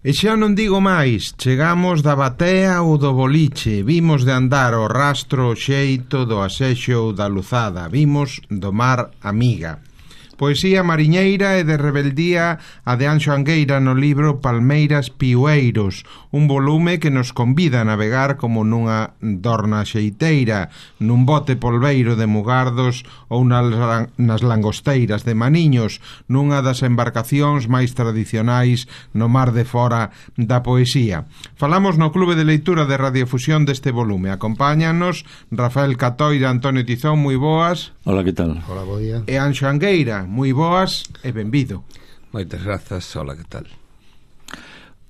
E xa non digo máis, chegamos da batea ou do boliche, vimos de andar o rastro o xeito do asexo ou da luzada, vimos do mar amiga. Poesía mariñeira e de rebeldía a de Anxo Angueira no libro Palmeiras Piueiros, un volume que nos convida a navegar como nunha dorna xeiteira, nun bote polveiro de Mugardos ou nas langosteiras de Maniños, nunha das embarcacións máis tradicionais no mar de fora da poesía. Falamos no Clube de Leitura de Radiofusión deste volume. Acompáñanos Rafael Catoira, Antonio Tizón, moi boas. Hola, que tal? Hola, bo día. E Anxo Angueira, moi boas e benvido. Moitas grazas, hola, que tal?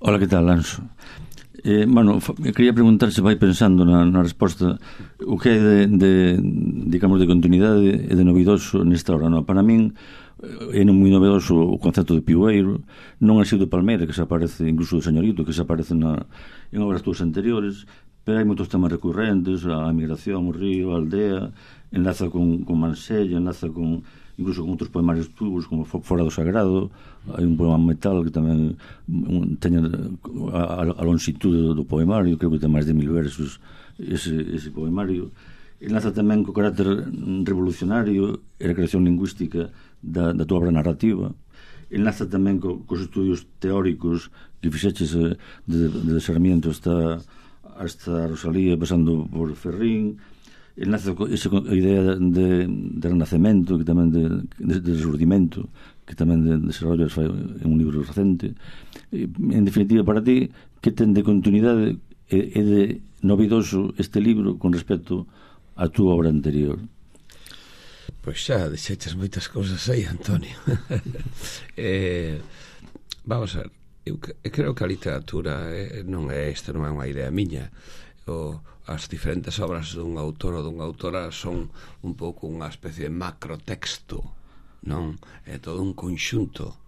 Hola, que tal, Anxo? Bueno, quería preguntar se vai pensando na resposta o que é digamos, de continuidade e de novidoso nesta hora, non? Para min é moi novedoso o concepto de piueiro, non é sido palmeira, que se aparece incluso do señorito, que se aparece en obras túas anteriores, pero hai moitos temas recurrentes, a migración, o río, a aldea, enlaza con Mansella, enlaza incluso con outros poemarios túbos, como Fora do Sagrado. Hai un poema metal que tamén teña a longitude do poemario, creo que ten máis de 1000 versos ese poemario. Enlaza tamén co carácter revolucionario e a creación lingüística da tua obra narrativa. Enlaza tamén cos estudios teóricos que fixeches de Sarmiento hasta Rosalía, pasando por Ferrín. Enlaza esa idea de renacemento, que tamén de resurdimento, que tamén desarrollas en un libro recente. En definitiva, para ti, que ten de continuidade e de novidoso este libro con respecto a túa obra anterior? Pois xa deixeches moitas cousas aí, Antonio. Vamos a ver, eu creo que a literatura non é unha idea miña. As diferentes obras dun autor ou dunha autora son un pouco unha especie de macrotexto, non? É todo un conxunto.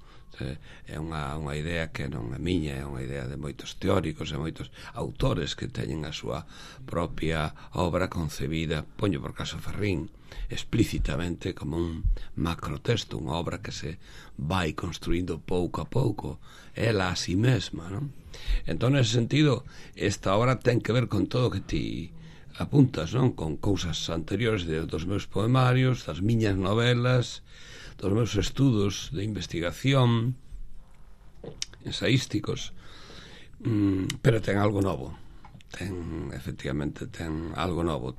É unha idea que non é miña, é unha idea de moitos teóricos e moitos autores que teñen a súa propia obra concebida, poño por caso Ferrín, explícitamente como un macrotexto, unha obra que se vai construindo pouco a pouco, ela a si mesma, non? Entón, nese sentido, esta obra ten que ver con todo o que ti apuntas, non? Con cousas anteriores dos meus poemarios, das miñas novelas, dos meus estudos de investigación ensaísticos, pero ten algo novo, efectivamente ten algo novo.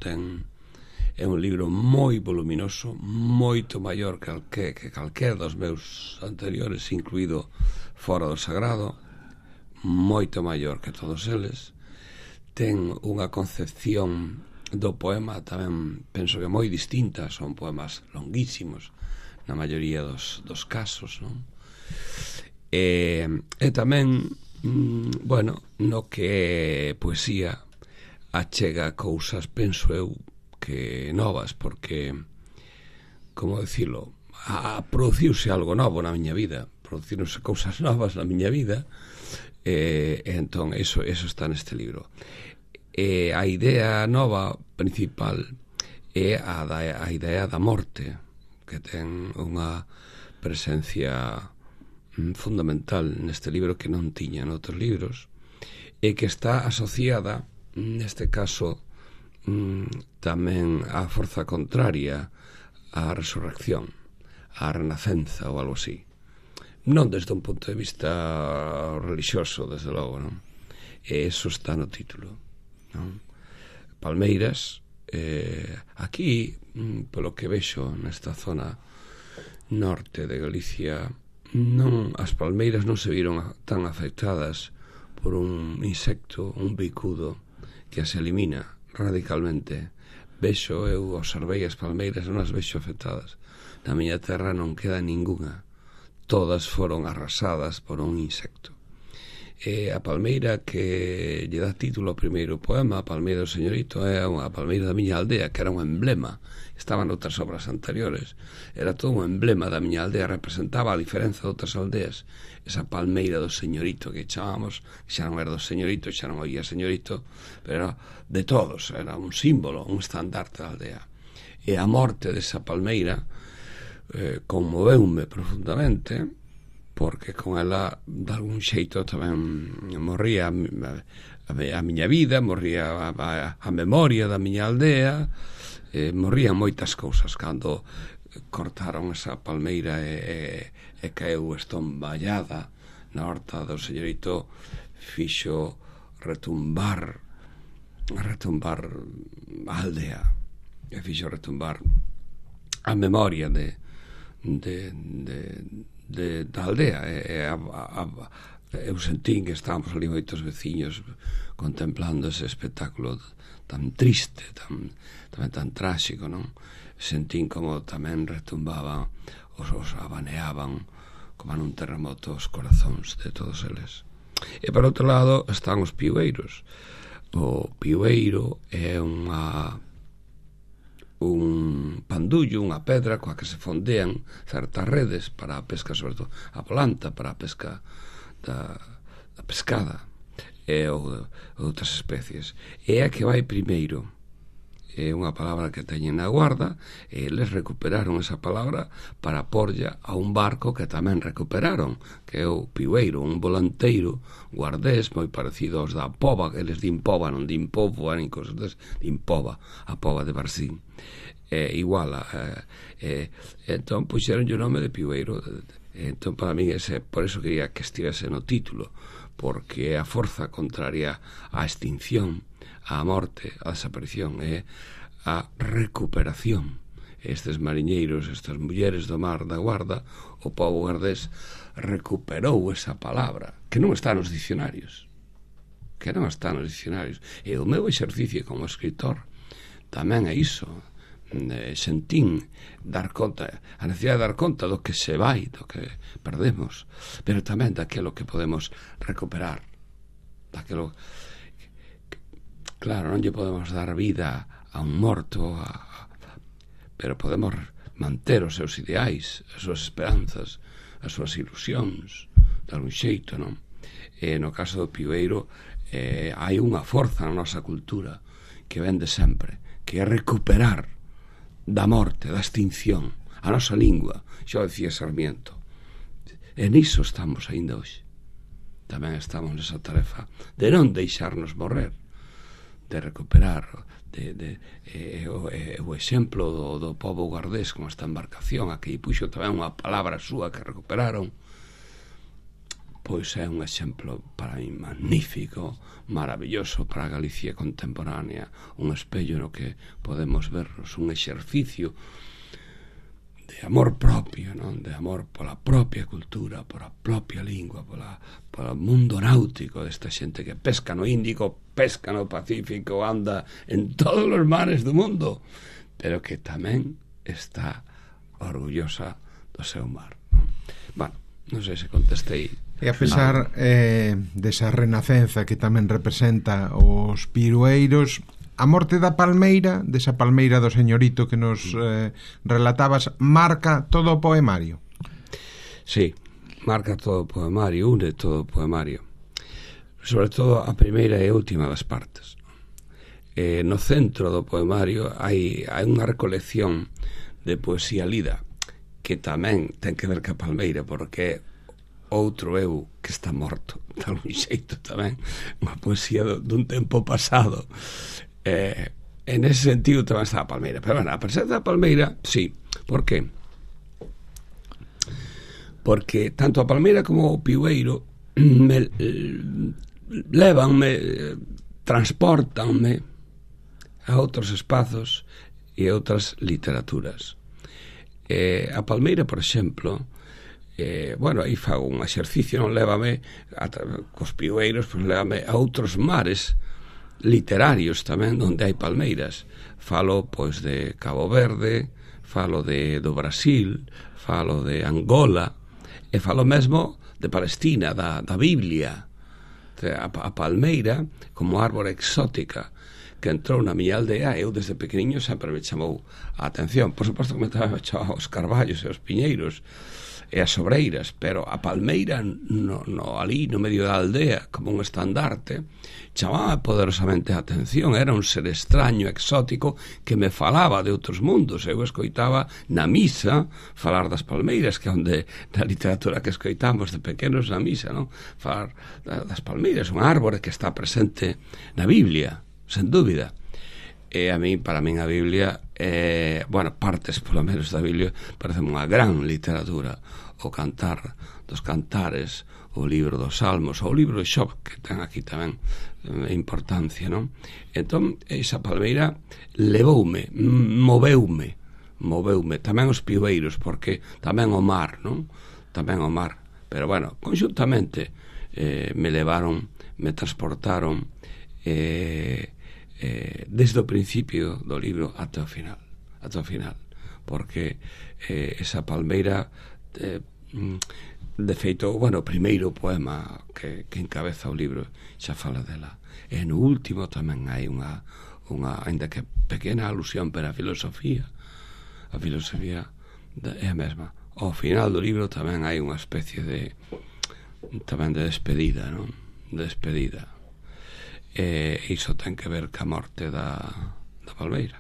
É un libro moi voluminoso, moito maior que calquer dos meus anteriores, incluído Fora do Sagrado, moito maior que todos eles. Ten unha concepción do poema tamén, penso que moi distinta. Son poemas longuísimos na maioría dos casos, non? E tamén, bueno, no que é poesía achega cousas, penso eu, que novas, porque, como dicilo, produciuse algo novo na miña vida, producironse cousas novas na miña vida, e entón eso está neste libro. A idea nova principal é a idea da morte, que ten unha presencia fundamental neste libro que non tiña noutros libros, e que está asociada neste caso tamén á forza contraria, á resurrección, á renacenza ou algo así. Non desde un punto de vista religioso, desde logo, non? E eso está no título, non? Palmeiras, aquí, polo que vexo nesta zona norte de Galicia, as palmeiras non se viron tan afectadas por un insecto, un bicudo, que as elimina radicalmente. Eu observei as palmeiras, non as vexo afectadas. Na miña terra non queda ninguna, todas foron arrasadas por un insecto. A palmeira que lle dá título ao primeiro poema, a palmeira do señorito, é a palmeira da miña aldea, que era un emblema. Estaban outras obras anteriores, era todo un emblema da miña aldea, representaba a diferenza de outras aldeas. Esa palmeira do señorito que chamamos, que xa non era do señorito, xa non oía señorito, pero era de todos, era un símbolo, un estandarte da aldea. E a morte desa palmeira conmoveume profundamente, porque con ela de algún xeito tamén morría a miña vida, morría a memoria da miña aldea, morrían moitas cousas cando cortaron esa palmeira e caeu estomballada na horta do señorito. Fixo retumbar a aldea, e fixo retumbar a memoria da aldea. Eu sentín que estábamos ali moitos veciños contemplando ese espectáculo tan triste, tamén tan tráxico, non? Sentín como tamén retumbaban, os abaneaban como nun terremoto os corazóns de todos eles. E por outro lado están os piueiros. O piueiro é un pandullo, unha pedra coa que se fondean certas redes para a pesca, sobre todo a volanta, para a pesca da pescada e outras especies. É a que vai primeiro. É unha palabra que teñen na Guarda, e eles recuperaron esa palabra para porlla a un barco que tamén recuperaron, que é o piueiro, un volanteiro guardés moi parecido aos da Pova, que eles din Pova, non din Povo, nin cosas des, din Pova, a Pova de Barcín. Igual entón puxeron o nome de piueiro. Entón para mí por eso quería que estivese no título, porque é a forza contraria á extinción, á morte, á desaparición, é a recuperación. Estes mariñeiros, estas mulleres do mar da Guarda, o pobo guardés recuperou esa palabra que non está nos dicionarios, e o meu exercicio como escritor tamén é iso. Sentín dar conta, a necesidade de dar conta do que se vai, do que perdemos, pero tamén daquilo que podemos recuperar, daquilo. Claro, non lle podemos dar vida a un morto, pero podemos manter os seus ideais, as súas esperanzas, as súas ilusións, de algún xeito, non? E no caso do piueiro hai unha forza na nosa cultura que vén de sempre, que é recuperar da morte, da extinción, a nosa lingua, xa decía Sarmiento. E niso estamos aínda hoxe. Tamén estamos nesa tarefa de non deixarnos morrer, de recuperar o exemplo do pobo guardés con esta embarcación, a que puxo tamén unha palabra súa que recuperaron, pois é un exemplo para mí magnífico, maravilloso para a Galicia contemporánea, un espello no que podemos vernos, un exercicio de amor propio, non? De amor pola propia cultura, pola propia lingua, polo mundo náutico desta xente que pesca no Índico, pesca no Pacífico, anda en todos os mares do mundo, pero que tamén está orgullosa do seu mar, non? Bueno, non sei se contestei. E a pesar desa renacenza que tamén representa os pirueiros, a morte da palmeira, desa palmeira do señorito que nos relatabas, marca todo o poemario. Sí, marca todo o poemario, une todo o poemario, sobre todo a primeira e última das partes. No centro do poemario hai unha recolección de poesía lida que tamén ten que ver ca palmeira, porque outro eu que está morto, de algún xeito tamén, unha poesía dun tempo pasado. En ese sentido tamén está a palmeira, pero bueno, a presenza da palmeira, sí. Por qué? Porque tanto a palmeira como o piueiro transportanme a outros espazos e a outras literaturas. A palmeira, por exemplo, bueno, aí fago un exercicio, non lévame cos piueiros, pois lévame a outros mares literarios tamén onde hai palmeiras. Falo pois de Cabo Verde, falo do Brasil, falo de Angola, e falo mesmo de Palestina, da Biblia. A palmeira como árbore exótica que entrou na miña aldea, eu desde pequeniño sempre me chamou a atención. Por suposto que me chamaba os carballos e os piñeiros e as sobreiras, pero a palmeira ali no medio da aldea, como un estandarte, chamaba poderosamente a atención. Era un ser extraño, exótico, que me falaba de outros mundos. Eu escoitaba na misa falar das palmeiras, que é onde na literatura que escoitamos de pequenos na misa, non? Falar das palmeiras, un árbore que está presente na Biblia, sen dúbida. E para min a Biblia, partes polo menos da Biblia, parece unha gran literatura. O Cantar dos Cantares, o libro dos Salmos, o libro de Xob, que ten aquí tamén importancia, non? Entón, esa palmeira levoume, moveume, tamén os piueiros, porque tamén o mar, non? Tamén o mar. Pero, bueno, conxuntamente me levaron, me transportaron desde o principio do libro ata o final, porque esa palmeira, de feito, o primeiro poema que encabeza o libro xa fala dela, e no último tamén hai unha ainda que pequena alusión para a filosofía é a mesma. Ao final do libro tamén hai unha especie de despedida, non? Despedida. E iso ten que ver ca morte da palmeira.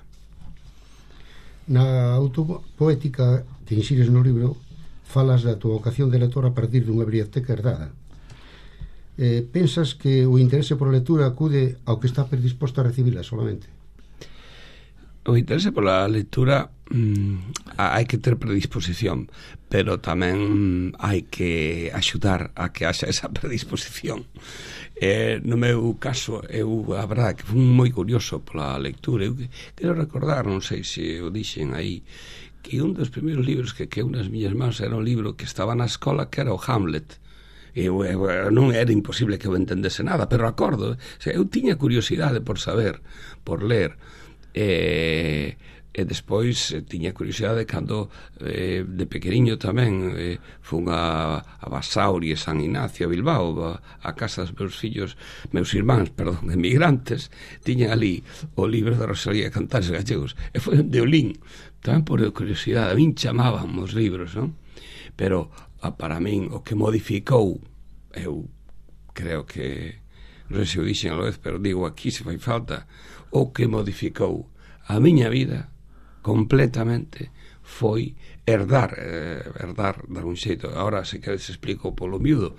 Na autopoética que insires no libro falas da tua vocación de lector a partir dunha biblioteca herdada. Pensas que o interese por a lectura acude ao que está predisposto a recibila solamente? O interese pola lectura hai que ter predisposición, pero tamén hai que axudar a que haxa esa predisposición. No meu caso, a verdade que fui moi curioso pola lectura. Eu quero recordar, non sei se o dixen aí, que un dos primeiros libros que quedou nas miñas mans era un libro que estaba na escola, que era o Hamlet. Non era imposible que eu entendese nada, pero acordo, eu tiña curiosidade por saber, por ler, e despois tiña curiosidade cando de pequeniño tamén fun a Basauri e San Ignacio, a Bilbao, a casa dos meus irmáns, emigrantes. Tiñan ali o libro da Rosalía de Cantares Gallegos, e foi onde o lín, tamén por curiosidade. A min chamaban os libros, non? Pero para min o que modificou, eu creo que, non sei se o dixen a vez, pero digo aquí se fai falta, o que modificou a miña vida completamente foi herdar, dar un xeito, agora se queres explico polo miúdo,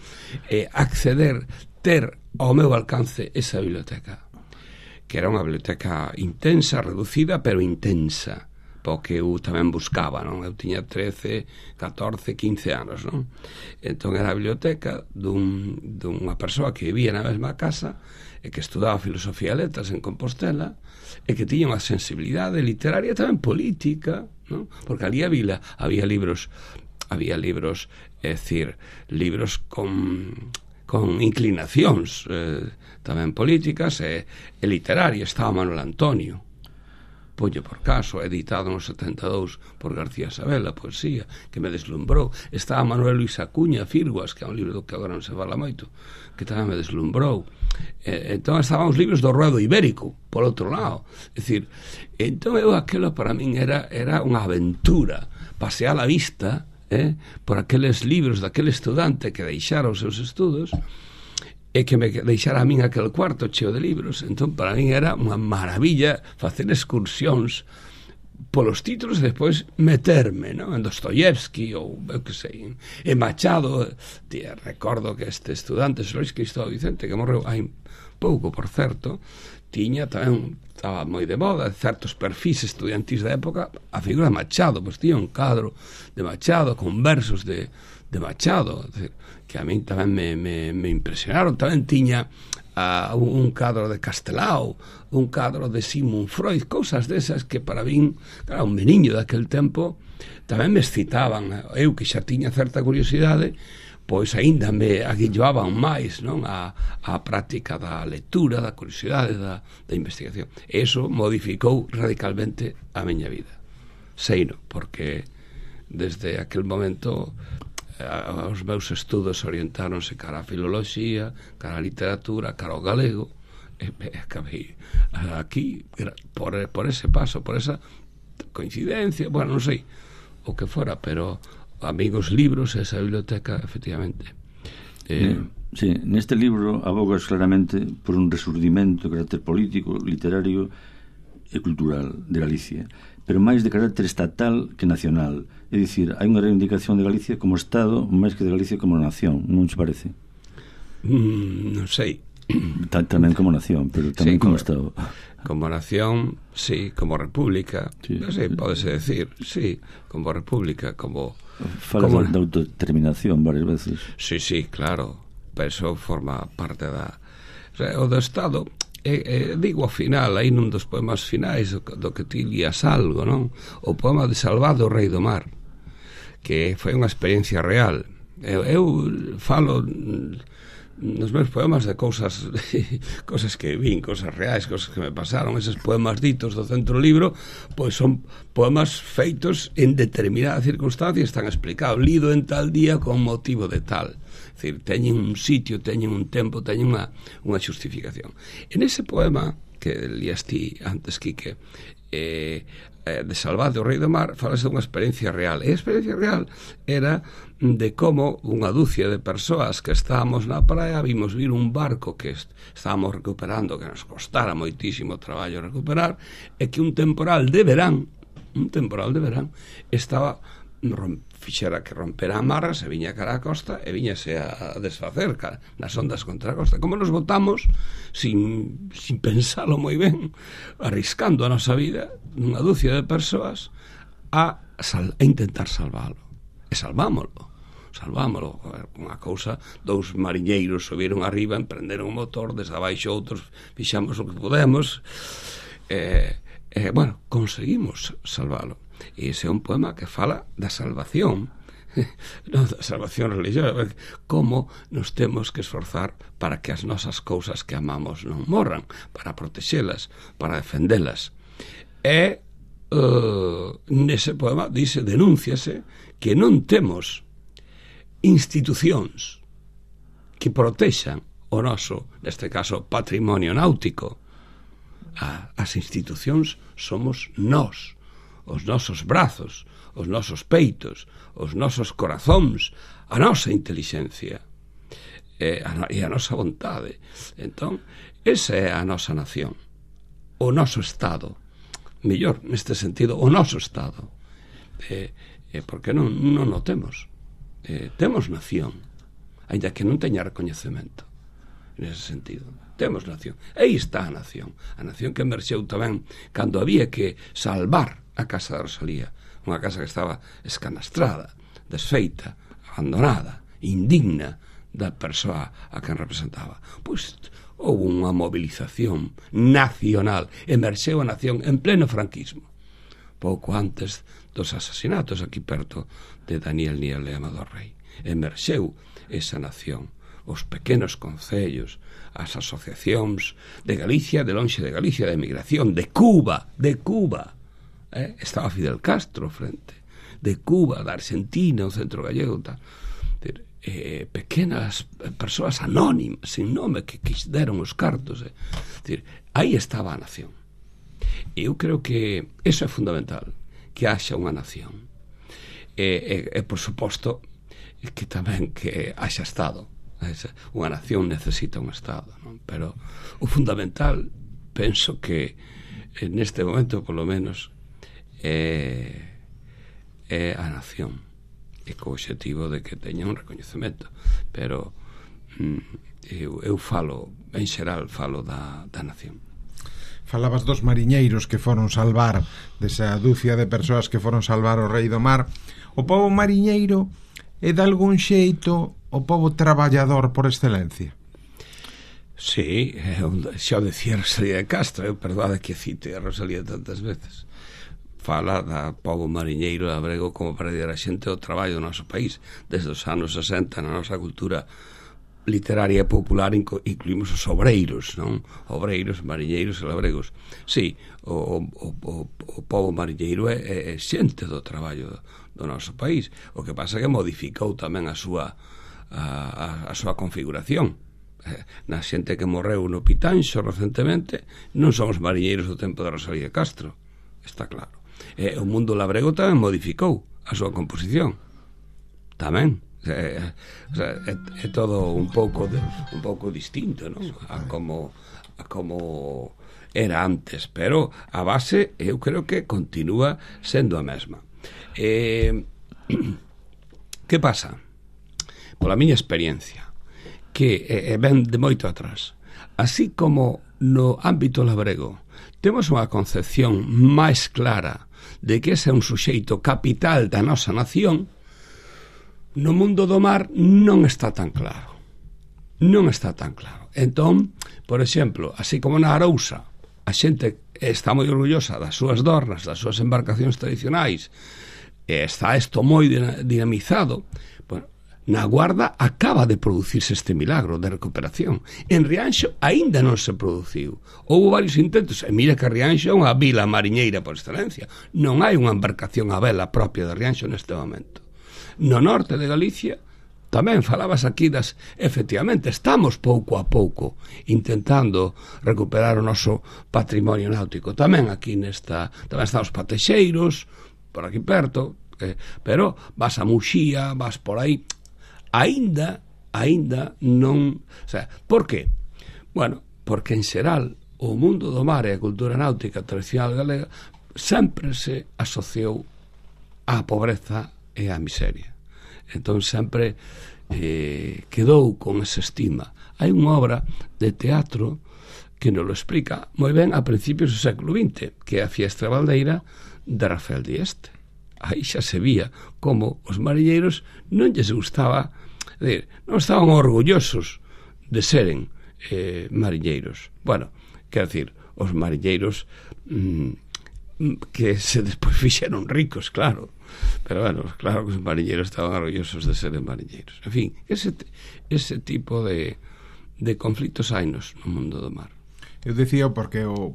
acceder, ter ao meu alcance esa biblioteca, que era unha biblioteca intensa, reducida, pero intensa, porque eu tamén buscaba, non? Eu tiña 13, 14, 15 anos, non? Entón era a biblioteca dunha persoa que vivía na mesma casa e que estudaba filosofía e letras en Compostela e que tiña unha sensibilidade literaria tamén política, non? Porque ali había libros, é dicir, libros con inclinacións tamén políticas e literarias. Estaba Manuel Antonio, Pollo por caso, editado no 72 por García Sabela, poesía, que me deslumbrou. Estaba Manuel Luis Acuña, Firguas, que é un libro do que agora non se fala moito, que tamén me deslumbrou. Entón estaban os libros do Ruedo Ibérico, por outro lado. É dicir, entón aquilo para min era unha aventura, pasear a vista por aqueles libros daquele estudante que deixara os seus estudos e que me deixara a min aquel cuarto cheo de libros. Entón para min era unha maravilla facer excursións polos títulos e despois meterme, non? En Dostoyevsky ou eu que sei, en Machado. Recordo que este estudante, Luis Cristóbal Vicente, que morreu hai pouco, por certo, tiña tamén, estaba moi de moda, certos perfis estudiantis da época, a figura de Machado, pois tiña un cadro de Machado con versos de Machado, que a min tamén me impresionaron. Tamén tiña un cadro de Castelao, un cadro de Sigmund Freud, cousas desas que para min, claro, un meniño daquel tempo, tamén me excitaban. Eu que xa tiña certa curiosidade, pois aínda me aguilloaban máis, non, a práctica da lectura, da curiosidade, da investigación. E iso modificou radicalmente a miña vida. Seino, porque desde aquel momento os meus estudos orientáronse cara a filoloxía, cara a literatura, cara ao galego, acabei aquí por ese paso, por esa coincidencia, bueno, non sei o que fora, pero amigos, libros, esa biblioteca, efectivamente. Sí, neste libro abogas claramente por un resurdimento de carácter político, literario e cultural de Galicia, pero máis de carácter estatal que nacional. É dicir, hai unha reivindicación de Galicia como Estado máis que de Galicia como nación, non se parece? Non sei. Tamén como nación, pero tamén sí, como Estado. Como nación, sí, como república, sí, pódese decir, sí, como república, como... Fala de autodeterminación varias veces. Sí, claro, pero eso forma parte o do Estado. Digo ao final, aí nun dos poemas finais do que ti lías algo, non? O poema de Salvado, o Rei do Mar, que foi unha experiencia real. Eu falo nos meus poemas de cousas que vin, cousas reais, cousas que me pasaron. Eses poemas ditos do centro libro, pois son poemas feitos en determinadas circunstancias, están explicados, lido en tal día con motivo de tal. É dicir, teñen un sitio, teñen un tempo, teñen unha xustificación. En ese poema que lías ti antes, Quique, de Salvado, o Rei do Mar, falase dunha experiencia real. E a experiencia real era de como unha dúcia de persoas que estábamos na praia vimos vir un barco que estábamos recuperando, que nos costara moitísimo traballo recuperar, e que un temporal de verán estaba fixera que rompera amarras e viña cara a costa e viñase a desfacer nas ondas contra a costa. Como nos botamos sin pensalo moi ben, arriscando a nosa vida, unha dúcia de persoas a intentar salvalo. E salvámolo. Unha cousa, dous mariñeiros subiron arriba, emprenderon o motor, desde abaixo outros fixamos o que podemos, bueno, conseguimos salvalo. E ese é un poema que fala da salvación, non da salvación religiosa, como nos temos que esforzar para que as nosas cousas que amamos non morran, para protexelas, para defendelas. E nese poema denúnciase que non temos institucións que protexan o noso, neste caso, patrimonio náutico. As institucións somos nós, os nosos brazos, os nosos peitos, os nosos corazóns, a nosa intelixencia e a nosa vontade. Entón, esa é a nosa nación, o noso Estado, mellor, neste sentido, o noso Estado, porque non o temos. Temos nación, ainda que non teña recoñecemento, nese sentido. Temos nación. Aí está a nación que emerxeu tamén cando había que salvar a casa de Rosalía, unha casa que estaba escanastrada, desfeita, abandonada, indigna da persoa a quen representaba. Pois houve unha movilización nacional, emerxeu a nación en pleno franquismo, pouco antes dos asasinatos aquí perto de Daniel Niel e Amador Rei. Emerxeu esa nación, os pequenos concellos, as asociacións de Galicia, de lonxe de Galicia, de emigración, de Cuba, estaba Fidel Castro frente, de Cuba, da Argentina, o centro gallego, tal. Pequenas persoas anónimas, sin nome, que deron os cartos. Aí estaba a nación. Eu creo que eso é fundamental, que haxa unha nación. Por suposto, que tamén que haxa Estado. Unha nación necesita un Estado, non? Pero o fundamental, penso que neste momento, polo menos, é a nación, e co obxectivo de que teña un recoñecemento. Pero eu falo, en xeral, falo da nación. Falabas dos mariñeiros que foron salvar, desa dúcia de persoas que foron salvar o Rei do Mar. O pobo mariñeiro é de algún xeito o pobo traballador por excelencia? Sí, xa o decía Rosalía de Castro, perdade que cite a Rosalía tantas veces. Fala da pobo mariñeiro labrego como para dir a xente o traballo do noso país. Desde os anos 60 na nosa cultura literaria e popular incluímos os obreiros, non? Obreiros, mariñeiros e labregos. Sí, o pobo mariñeiro é xente do traballo do noso país. O que pasa é que modificou tamén a súa configuración. na xente que morreu no Pitanxo recentemente non son os mariñeiros do tempo de Rosalía Castro, está claro. O mundo labrego tamén modificou a súa composición tamén. É todo un pouco distinto, non? A como era antes, pero a base eu creo que continúa sendo a mesma. Que pasa? Pola miña experiencia, que ven de moito atrás, así como no ámbito labrego temos unha concepción máis clara de que ese é un suxeito capital da nosa nación, no mundo do mar non está tan claro. Non está tan claro. Entón, por exemplo, así como na Arousa a xente está moi orgullosa das súas dornas, das súas embarcacións tradicionais, está isto moi dinamizado, bueno, na Guarda acaba de producirse este milagro de recuperación. En Rianxo aínda non se produciu. Houve varios intentos, e mira que Rianxo é unha vila mariñeira por excelencia. Non hai unha embarcación a vela propia de Rianxo neste momento. No norte de Galicia tamén falabas aquí efectivamente, estamos pouco a pouco intentando recuperar o noso patrimonio náutico. Tamén aquí tamén están os patexeiros, por aquí perto, pero vas a Muxía, vas por aí, aínda non, o sea, por qué? Bueno, porque en xeral o mundo do mar e a cultura náutica tradicional galega sempre se asociou á pobreza e á miseria. Entón sempre quedou con esa estima. Hai unha obra de teatro que nos lo explica moi ben a principios do século XX, que é a Fiestra Baldeira de Rafael Dieste. Aí xa se vía como os mariñeiros non lles gustaba, non estaban orgullosos de seren mariñeiros. Bueno, quero dicir, os mariñeiros que se despois fixeron ricos, claro, pero bueno, claro que os mariñeiros estaban orgullosos de seren mariñeiros. En fin, ese tipo de conflitos hainos no mundo do mar. Eu decía porque o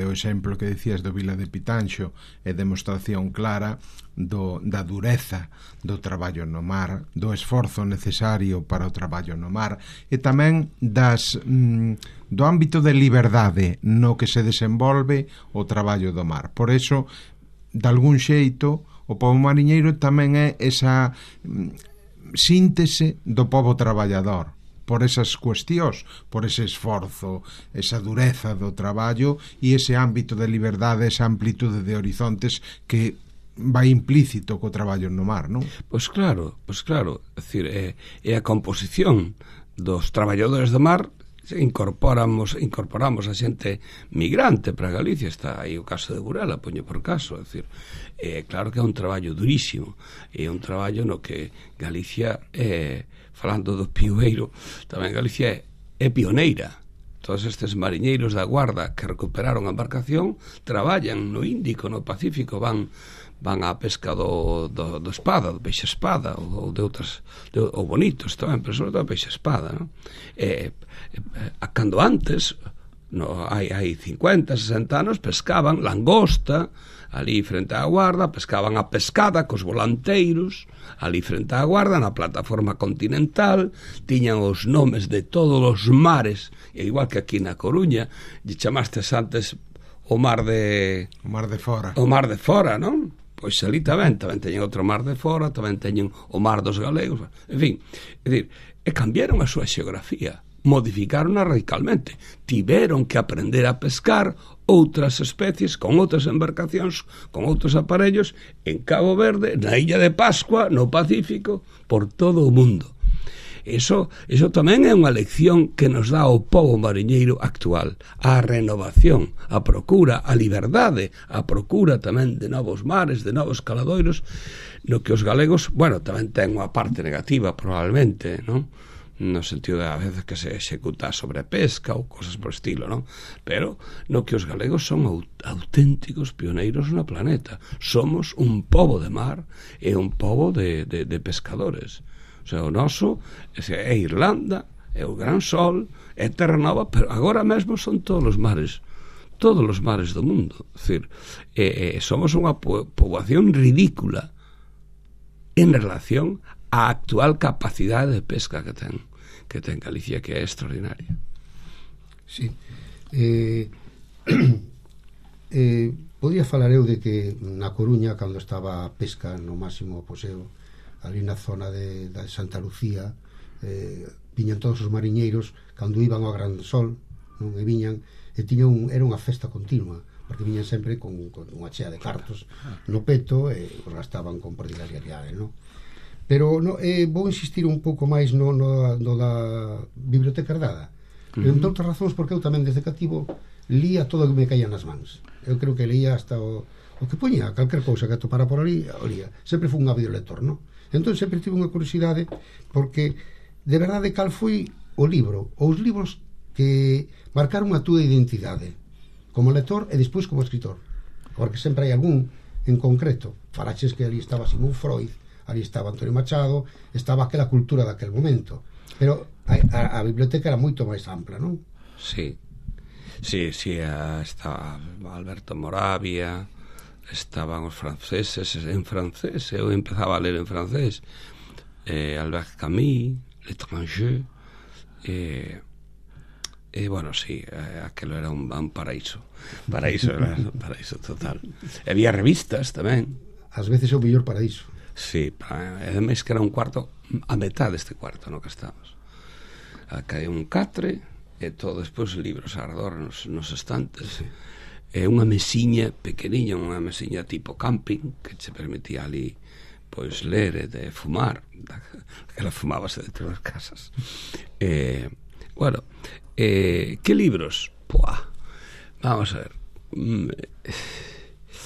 exemplo que decías do Vila de Pitanxo é demostración clara da dureza do traballo no mar, do esforzo necesario para o traballo no mar e tamén do ámbito de liberdade no que se desenvolve o traballo do mar. Por eso, de algún xeito, o pobo mariñeiro tamén é esa síntese do pobo traballador, por esas cuestións, por ese esforzo, esa dureza do traballo e ese ámbito de liberdade, esa amplitude de horizontes que vai implícito co traballo no mar, non? Pois claro, é dicir, é a composición dos traballadores do mar. Incorporamos a xente migrante para Galicia. Está aí o caso de Burela, poño por caso, é dicir, claro que é un traballo durísimo, é un traballo no que Galicia falando do pioeiro, tamén Galicia é pioneira. Todos estes mariñeiros da Guarda que recuperaron a embarcación traballan no Índico, no Pacífico, van á pesca do espada, do peixe espada, ou de outras, ou bonitos tamén, pero sobre todo peixe espada, non? Cando antes, hai 50, 60 anos, pescaban langosta ali frente á Guarda, pescaban a pescada cos volanteiros ali frente á Guarda, na plataforma continental, tiñan os nomes de todos os mares, e igual que aquí na Coruña, lle chamastes antes o mar de fora, non? Pois ali tamén teñen outro mar de fora, tamén teñen o mar dos galegos, en fin, é dicir, cambiaron a súa xeografía, modificaronla radicalmente, tiveron que aprender a pescar outras especies con outras embarcacións, con outros aparellos en Cabo Verde, na Illa de Pascua, no Pacífico, por todo o mundo. Eso tamén é unha lección que nos dá o pobo mariñeiro actual, a renovación, a procura, a liberdade, a procura tamén de novos mares, de novos caladoiros, no que os galegos, bueno, tamén ten unha parte negativa probablemente, non? No sentido de a veces que se executa sobre pesca ou cosas por estilo, non? Pero no que os galegos son auténticos pioneiros no planeta. Somos un pobo de mar e un pobo de pescadores. O sea, o noso é Irlanda, é o Gran Sol, é Terra Nova, pero agora mesmo son todos os mares do mundo. É dicir, somos unha poboación ridícula en relación á actual capacidade de pesca que ten. ten Galicia, que é extraordinaria. Sí. Podía falar eu de que na Coruña, cando estaba a pesca no máximo poseo, ali na zona de Santa Lucía, viñan todos os mariñeiros cando iban ao Gran Sol, non? E viñan, e era unha festa continua, porque viñan sempre con unha chea de cartos no peto e os gastaban con prodigalidade, non? Pero vou insistir un pouco máis no da biblioteca herdada, entre outras razóns, porque eu tamén desde cativo lía todo o que me caía nas mans. Eu creo que leía hasta o que poñía, calquer cousa que atopara por ali, o lía. Sempre fui un ávido lector, non? Entón sempre tive unha curiosidade, porque de verdade cal foi o libro, ou os libros que marcaron a túa identidade como lector e despois como escritor, porque sempre hai algún en concreto. Falaches que ali estaba Sigmund Freud, ali estaba Antonio Machado, estaba aquela cultura daquel momento, pero a biblioteca era moito máis ampla, non? Sí, estaba Alberto Moravia, estaban os franceses en francés, eu empezaba a ler en francés, Albert Camus, L'Étranger, bueno, sí, aquilo era un paraíso total. E había revistas tamén. Ás veces é o mellor paraíso. Sí, ademais que era un cuarto, a metade deste cuarto no que estamos. Acá hai un catre e todo despois libros arredor nos estantes. Sí. E unha mesiña pequeniña, unha mesiña tipo camping, que che permitía ali pois ler e de fumar, que la fumabase dentro das casas. Bueno, que libros? Vamos a ver.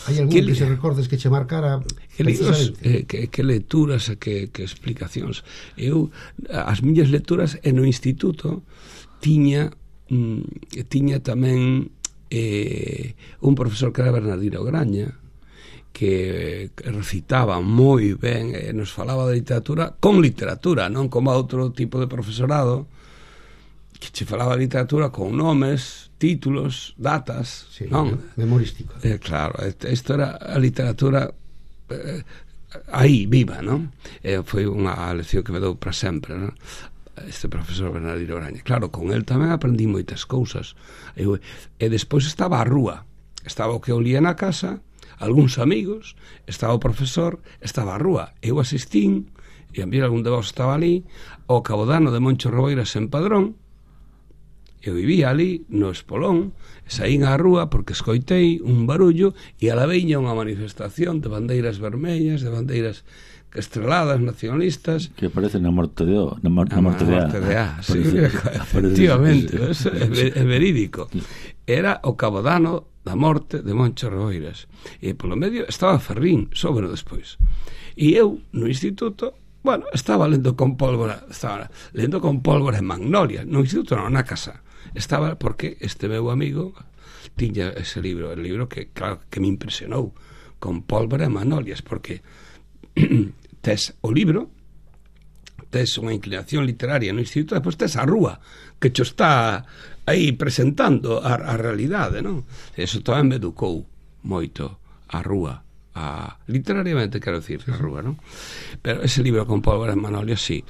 Hai algún que se recordes que che marcara? Que libros, que lecturas, que explicacións. Eu, as miñas lecturas no instituto tiña tamén un profesor que era Bernardino Graña, que recitaba moi ben e nos falaba de literatura con literatura, non como outro tipo de profesorado que che falaba de literatura con nomes, títulos, datas, sí, non? Memorístico. Claro, isto era a literatura aí, viva, non? Foi unha lección que me dou para sempre, non? Este profesor Bernardino Graña. Claro, con el tamén aprendí moitas cousas. E despois estaba a rúa, estaba o que eu lía na casa, algúns amigos, estaba o profesor, estaba a rúa. Eu asistín, e a mí algún de vos estaba ali, ao Cabodano de Moncho Reboiras en Padrón. Eu vivía ali no Espolón, saín á rúa porque escoitei un barullo e a la veña unha manifestación de bandeiras vermellas, de bandeiras estreladas, nacionalistas, que aparecen na morte de A. Sí, efectivamente, é verídico. Era o Cabodano da morte de Moncho Reboiras e polo medio estaba Ferrín, sóbeno despois, e eu no instituto, bueno, estaba lendo con pólvora en Magnolia, no instituto non, na casa estaba, porque este meu amigo tiña ese libro, el libro que, claro, que me impresionou, Con pólvora en Magnolias, porque tes o libro, tes unha inclinación literaria no instituto, depois tes a rúa que cho está aí presentando a realidade, non? Eso tamén me educou moito a rúa, literariamente, quero dicir, a rúa, non? Pero ese libro Con pólvora en Magnolias, sí.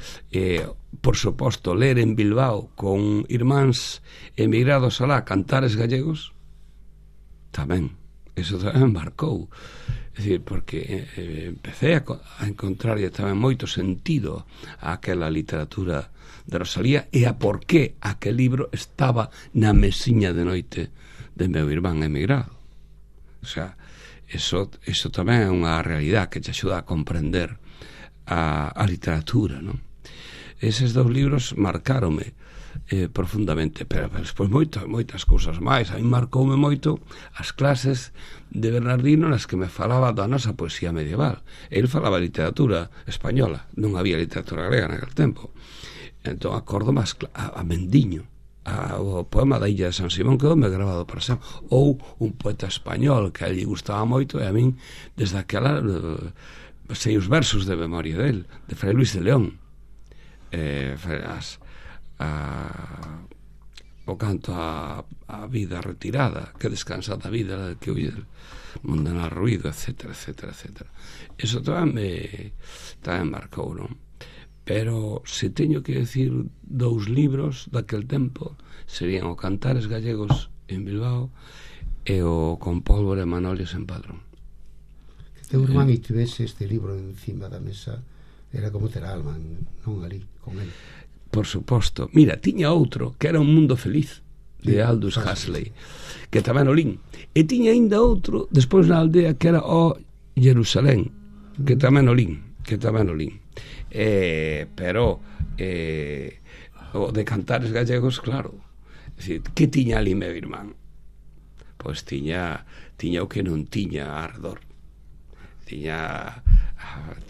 Por suposto, ler en Bilbao con irmáns emigrados alá, cantares gallegos, tamén, eso tamén marcou. É dicir, porque empecé a encontrarlle tamén moito sentido a aquela literatura de Rosalía e a por qué aquel libro estaba na mesiña de noite de meu irmán emigrado. O sea, eso tamén é unha realidade que te axuda a comprender a literatura, non? Eses dous libros marcáronme profundamente, pero despois moitas cousas máis. A mí marcoume moito as clases de Bernardino nas que me falaba da nosa poesía medieval. El falaba de literatura española, non había literatura galega naquele tempo. Entón acordo máis a Mendiño, o poema da Illa de San Simón, que me grabado para sempre, ou un poeta español que a ele gustaba moito, e a min desde aquela sei os versos de memoria del, de Fray Luis de León, o canto a vida retirada, que descansada vida que huye del mundanal ruido, etcétera, etcétera, etcétera. Eso tamén marcou, non? pero se teño que decir 2 libros daquel tempo serían o Cantares Gallegos en Bilbao e o Con pólvora e manolios en Padrón. Que teu irmán e tivese este libro encima da mesa era como ter a alma, non ali, con el. Por suposto. Mira, tiña outro que era Un mundo feliz de Aldous Huxley, que tamén o lín. E tiña aínda outro despois na aldea que era O Jerusalén, que tamén o lín. Pero o de Cantares Gallegos, claro, é dicir, que tiña ali meu irmán? Pois tiña o que non tiña ardor, tiña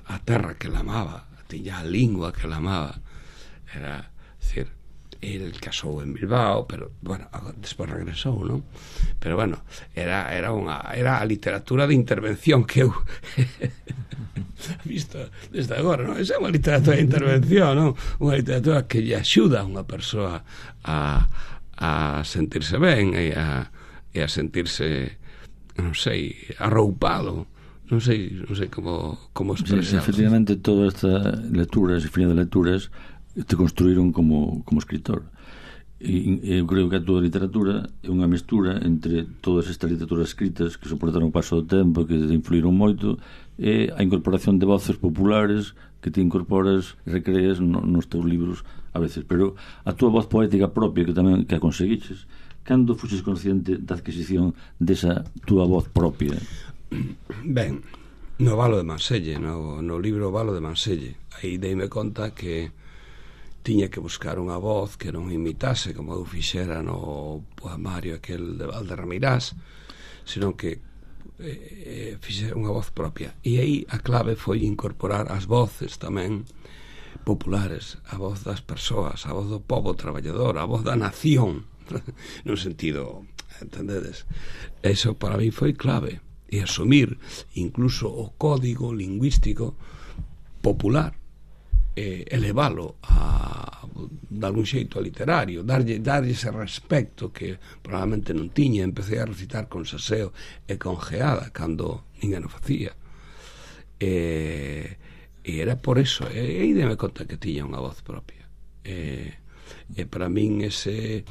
a terra que la amaba, tiña a lingua que la amaba. Era, decir, el casou en Bilbao, pero, bueno, despois regresou, non? Pero, bueno, era a literatura de intervención que eu visto desde agora, non? Esa é unha literatura de intervención, non? Unha literatura que lle axuda a unha persoa a sentirse ben e a sentirse, non sei, arroupado. Non sei como expresar. Efectivamente, toda esta lectura, ese final de lecturas, te construíron como escritor. E eu creo que a toda a literatura é unha mestura entre todas estas literaturas escritas que soportaron o paso do tempo, que influíron moito, e a incorporación de voces populares que te incorporas e recreas nos teus libros a veces. Pero a túa voz poética propia, que tamén que a conseguiches, cando fuxes consciente da adquisición desa túa voz propia? Ben, no Valo de Manselle, no libro Valo de Manselle, aí deime conta que tiña que buscar unha voz que non imitase como eu fixera no poemario aquel de Valderramirás, senón que fixera unha voz propia. E aí a clave foi incorporar as voces tamén populares, a voz das persoas, a voz do pobo traballador, a voz da nación, nun sentido, entendedes? Eso para mí foi clave, e asumir incluso o código lingüístico popular, elevalo de algún xeito a literario, darlle ese respecto que probablemente non tiña. Empecé a recitar con saseo e con geada cando ninguén o facía, e era por eso, e aí deme conta que tiña unha voz propia, e para min ese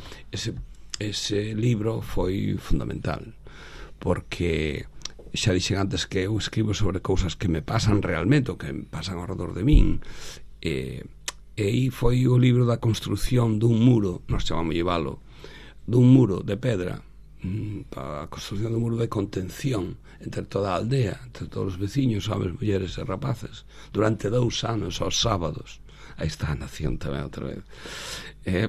libro foi fundamental, porque xa dixen antes que eu escribo sobre cousas que me pasan realmente, ou que me pasan ao redor de min, e aí foi o libro da construción dun muro, nós chamamos llevalo, dun muro de pedra, a construción dun muro de contención entre toda a aldea, entre todos os veciños, homens, mulleres e rapaces, durante 2 anos, aos sábados. Aí está a nación tamén outra vez,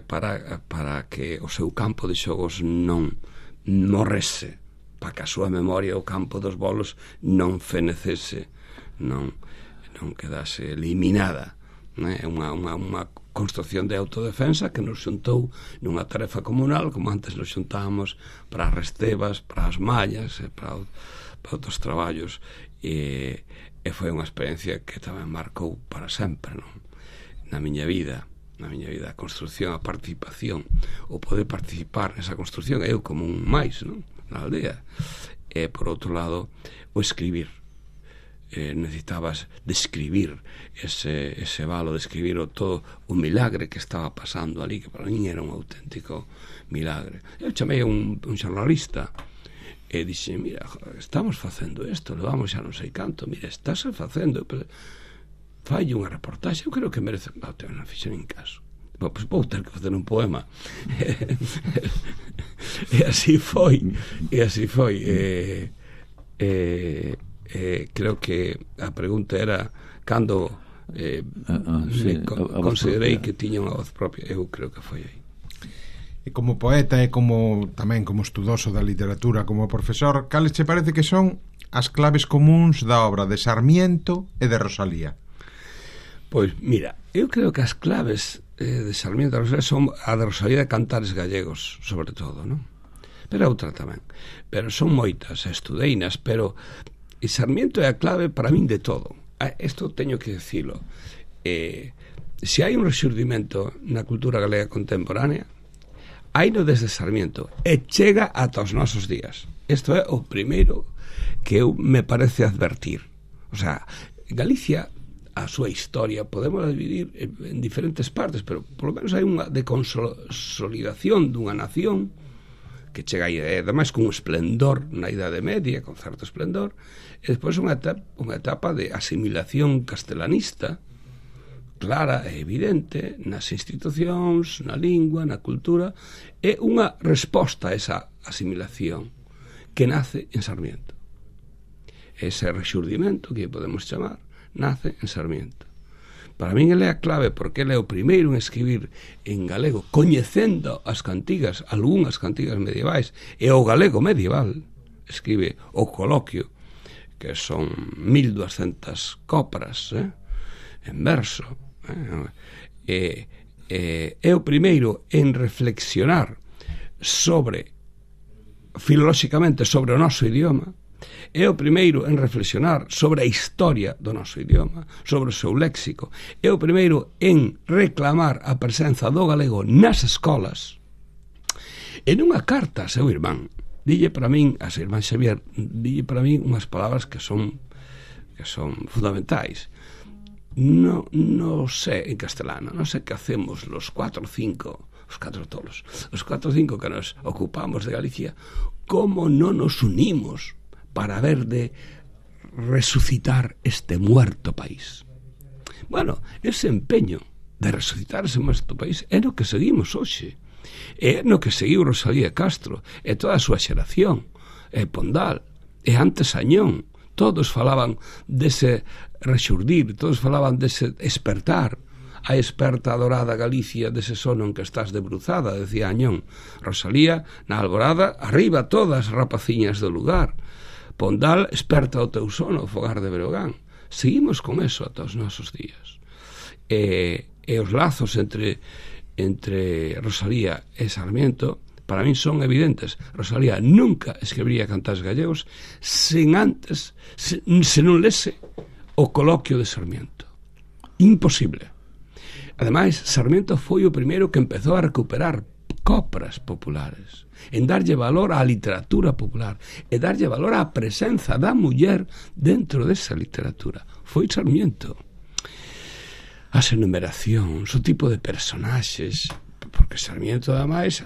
para que o seu campo de xogos non morrese, para que a súa memoria, o campo dos bolos, non fenecese, non quedase eliminada. É unha construcción de autodefensa que nos xuntou nunha tarefa comunal, como antes nos xuntábamos para as restebas, para as mallas, para outros traballos, e foi unha experiencia que tamén marcou para sempre, non? Na miña vida, a construción, a participación, o poder participar nesa construción, eu como un máis, non? Na aldea. E por outro lado, o escribir. Necesitabas describir ese valo, describir todo o milagre que estaba pasando ali, que para mí era un auténtico milagre. Eu chamei a un xornalista e dixe, mira, estamos facendo isto, levamos xa non sei canto, mira, estás facendo, falle unha reportaxe, eu creo que merece, non fixen en caso. Pois vou ter que facer un poema. E así foi. Creo que a pregunta era cando considerei que tiña unha voz propia. Eu creo que foi aí. E como poeta e como tamén como estudoso da literatura, como profesor, cales che parece que son as claves comuns da obra de Sarmiento e de Rosalía? Pois mira, eu creo que as claves de Sarmiento e de Rosalía son a de Rosalía de Cantares Gallegos, sobre todo, non? Pero outra tamén. Pero son moitas, estudeinas, pero e Sarmiento é a clave para min de todo. Isto teño que dicilo. Se hai un rexurdimento na cultura galega contemporánea, haino desde Sarmiento e chega ata os nosos días. Isto é o primeiro que eu me parece advertir. O sea, Galicia a súa historia podemos dividir en diferentes partes, pero polo menos hai unha de consolidación dunha nación que chega aí, ademais con un esplendor na Idade Media, con certo esplendor, e despois unha etapa de asimilación castelanista clara e evidente nas institucións, na lingua, na cultura, e unha resposta a esa asimilación que nace en Sarmiento. Ese rexurdimento que podemos chamar nace en Sarmiento. Para min ele é a clave, porque ele é o primeiro en escribir en galego, coñecendo as cantigas, algunhas cantigas medievais, e o galego medieval. Escribe o coloquio, que son 1200 copras, en verso. É o primeiro en reflexionar filolóxicamente sobre o noso idioma. É o primeiro en reflexionar sobre a historia do noso idioma, sobre o seu léxico. É o primeiro en reclamar a presenza do galego nas escolas. E nunha carta a seu irmán, dille para min, a seu irmán Xavier, dille para min unhas palabras que son fundamentais. No sé en castelano, non sei que hacemos os 4 ou 5 que nos ocupamos de Galicia, como non nos unimos para ver de resucitar este muerto país. Bueno, ese empeño de resucitar ese muerto país é no que seguimos hoxe, é no que seguiu Rosalía Castro e toda a súa xeración, e Pondal, e antes Añón. Todos falaban dese rexurdir, todos falaban dese despertar, a esperta adorada Galicia dese sono en que estás debruzada, decía Añón. Rosalía, na alborada, arriba todas as rapaciñas do lugar. Pondal, esperta o teu sono, fogar de Breogán. Seguimos con eso ata os nosos días. E os lazos entre Rosalía e Sarmiento para min son evidentes. Rosalía nunca escribiría cantares gallegos sen antes, se non lese o coloquio de Sarmiento. Imposible. Ademais, Sarmiento foi o primeiro que empezou a recuperar copras populares, en darlle valor á literatura popular e darlle valor á presenza da muller dentro desa literatura. Foi Sarmiento. As enumeracións, o tipo de personaxes, porque Sarmiento, ademais,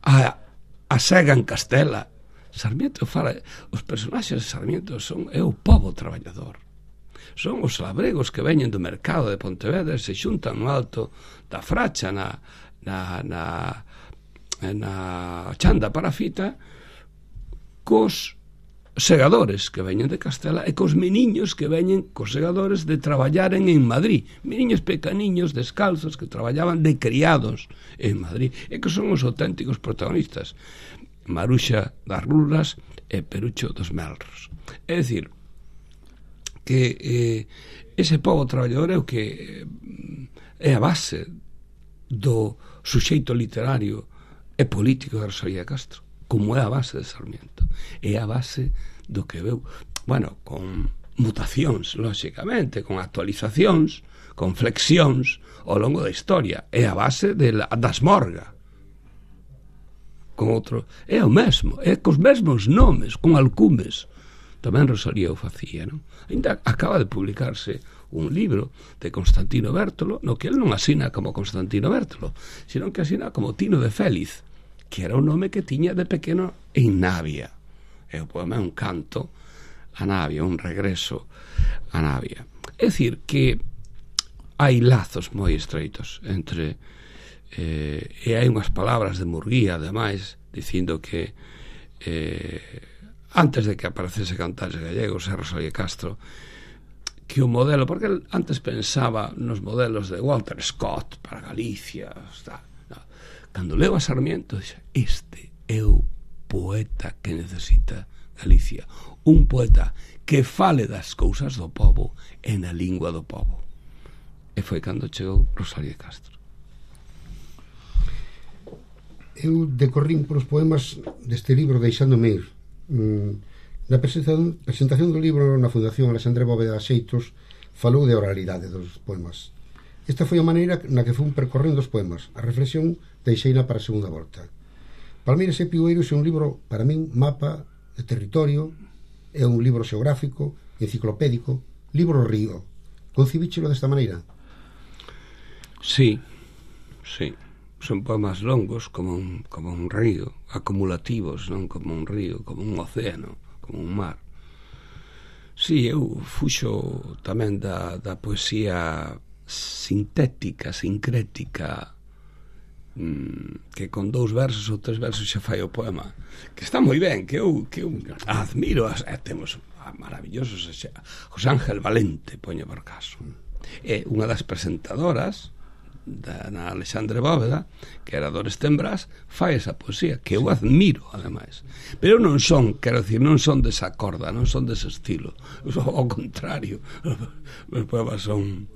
a sega en Castela. Sarmiento fala, os personaxes de Sarmiento é o pobo traballador. Son os labregos que veñen do mercado de Pontevedra e se xuntan no alto da Fracha na Chanda Parafita cos segadores que veñen de Castela e cos meniños que veñen cos segadores de traballaren en Madrid, meniños pequeniños descalzos que traballaban de criados en Madrid e que son os auténticos protagonistas, Maruxa das Rulas e Perucho dos Melros. É dicir, que ese pobo traballador é o que é a base do suxeito literario e político de Rosalía Castro, como é a base de Sarmiento, é a base do que veu, bueno, con mutacións, lóxicamente, con actualizacións, con flexións ao longo da historia, é a base das Morga, con outro, é o mesmo, é cos mesmos nomes, con alcumes. Tamén Rosalía o facía, non? Ainda acaba de publicarse un libro de Constantino Bértolo, no que el non asina como Constantino Bértolo, sino que asina como Tino de Félix, que era un nome que tiña de pequeno en Navia. E o poema é un canto a Navia, un regreso a Navia. É dicir, que hai lazos moi estreitos entre e hai unhas palabras de Murguía, ademais, dicindo que antes de que aparecese Cantares Gallegos e Rosalía Castro, que o modelo, porque el antes pensaba nos modelos de Walter Scott para Galicia, no. Cando leo a Sarmiento, dixe, este é o poeta que necesita Galicia, un poeta que fale das cousas do pobo e na lingua do pobo. E foi cando chegou Rosalía Castro. Eu decorrín polos poemas deste libro Deixándome ir. Na presentación do libro na Fundación Alexandre Bóveda Xeitos falou de oralidade dos poemas. Esta foi a maneira na que fun percorrendo os poemas. A reflexión deixeina para a segunda volta. Palmeiras e Piueiros é un libro, para min, mapa de territorio, é un libro xeográfico, enciclopédico, libro río, Concibíchelo desta maneira? Sí. Son poemas longos como un río, acumulativos, non como un río, como un océano, como un mar. Sí, eu fuxo tamén da poesía sintética, sincrética, que con 2 versos ou 3 versos xa fai o poema, que está moi ben, que eu admiro. Temos maravillosos, José Ángel Valente, poño por caso, é unha das presentadoras na Alexandre Bóveda, que era Dores Tembrás, fai esa poesía que eu admiro, ademais, pero non son, quero dicir, non son desa corda, non son dese estilo, ao contrario, os poemas son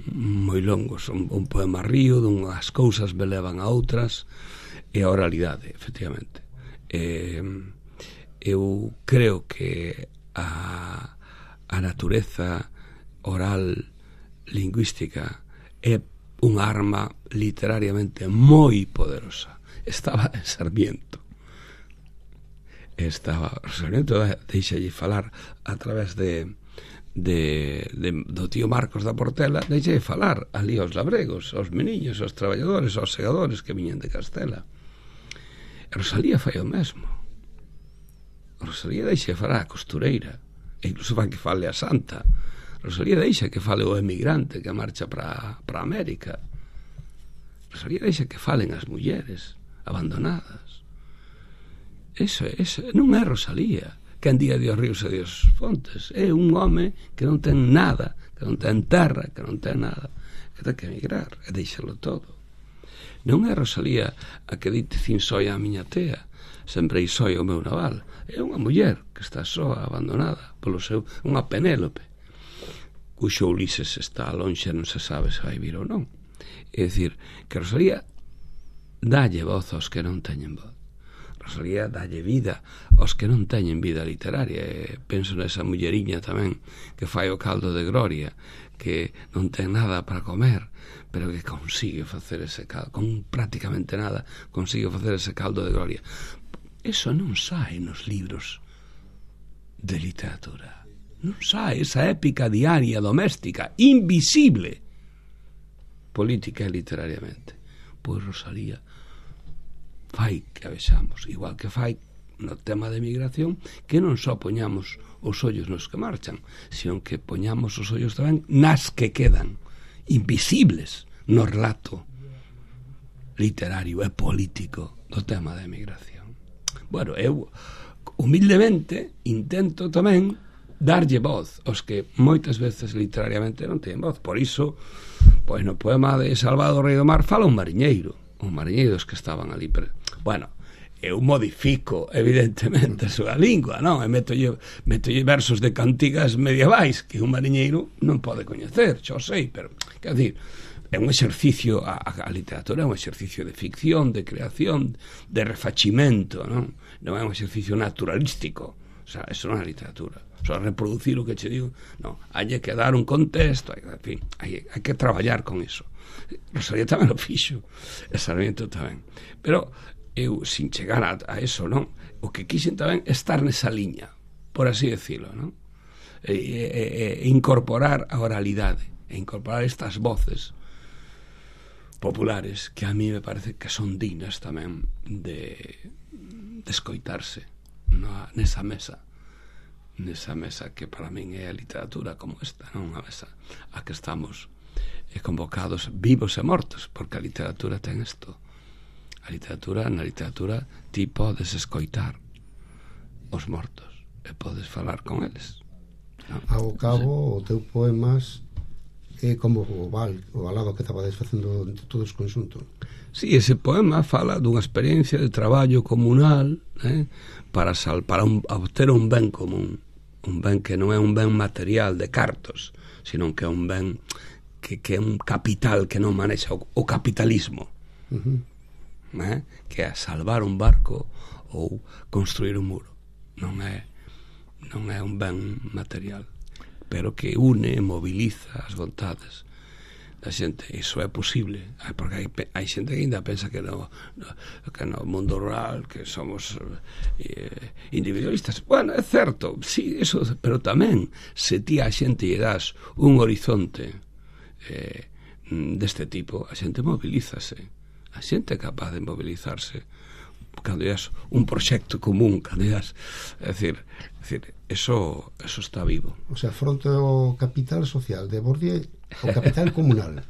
moi longos, son un poema río, dunhas cousas me levan a outras, e a oralidade, efectivamente. Eu creo que a natureza oral lingüística é unha arma literariamente moi poderosa. Estaba en Sarmiento, deixalle falar a través do tío Marcos da Portela, deixalle falar ali aos labregos, aos meniños, aos traballadores, aos segadores que viñen de Castela. E Rosalía fai o mesmo. Rosalía deixa falar a costureira, e incluso vai que fale a santa. Rosalía deixa que fale o emigrante que marcha para América. Rosalía deixa que falen as mulleres abandonadas. Eso non é Rosalía quen diga Dios ríos e Dios fontes. É un home que non ten nada, que non ten terra, que non ten nada, que ten que emigrar e deixalo todo. Non é Rosalía a que dite cin soia a miña tea, sembrei soia o meu naval. É unha muller que está soa, abandonada polo seu, unha Penélope, cuxo Ulises está lonxe, non se sabe se vai vir ou non. É dicir, que Rosalía dalle voz aos que non teñen voz. Rosalía dalle vida aos que non teñen vida literaria. E penso nesa mulleriña tamén que fai o caldo de Gloria, que non ten nada para comer, pero que consigue facer ese caldo, con prácticamente nada consigue facer ese caldo de Gloria. Eso non sae nos libros de literatura. Non sae esa épica diaria doméstica, invisible, política e literariamente. Pois Rosalía fai que a vexamos, igual que fai no tema de migración, que non só poñamos os ollos nos que marchan, sino que poñamos os ollos tamén nas que quedan, invisibles no relato literario e político do tema de migración. Bueno, eu humildemente intento tamén darlle voz aos que moitas veces literariamente non teñen voz. Por iso, pois no poema de Salvador Rei do Mar fala un mariñeiro dos que estaban ali. Bueno, eu modifico evidentemente a súa lingua, non? E metolle versos de cantigas medievais que un mariñeiro non pode coñecer, xo sei, pero quer dizer, é un exercicio, a literatura é un exercicio de ficción, de creación, de refachimento, non? Non é un exercicio naturalístico. O sea, eso non é literatura. Só reproducir o que che digo, non, hai que dar un contexto, en fin, hai que traballar con iso. Rosalía tamén lo fixo, e Sarmiento tamén, pero eu, sin chegar a eso, non, o que quixen tamén estar nesa liña, por así decirlo, non, e incorporar a oralidade, e incorporar estas voces populares que a mí me parece que son dignas tamén de escoitarse nesa mesa que para min é a literatura como esta, non? A mesa a que estamos convocados vivos e mortos, porque a literatura ten isto. Na literatura ti podes escoitar os mortos e podes falar con eles, non? Ao cabo, o teu poemas é como o balado que estabades facendo entre todos conxunto. Sí, ese poema fala dunha experiencia de traballo comunal, para obter un ben común, un ben que non é un ben material de cartos, sino que é un ben que é un capital que non manexa o capitalismo, que é salvar un barco ou construir un muro. Non é un ben material, pero que une e moviliza as vontades da xente, iso é posible, porque hai xente que ainda pensa que no mundo rural que somos individualistas. Bueno, é certo, sí, eso, pero tamén se ti a xente lle das un horizonte deste tipo, a xente mobilízase, a xente é capaz de mobilizarse cando es un proxecto común, cando es, é dicir, eso está vivo. O sea, fronte ao capital social de Bourdieu, o capital comunal.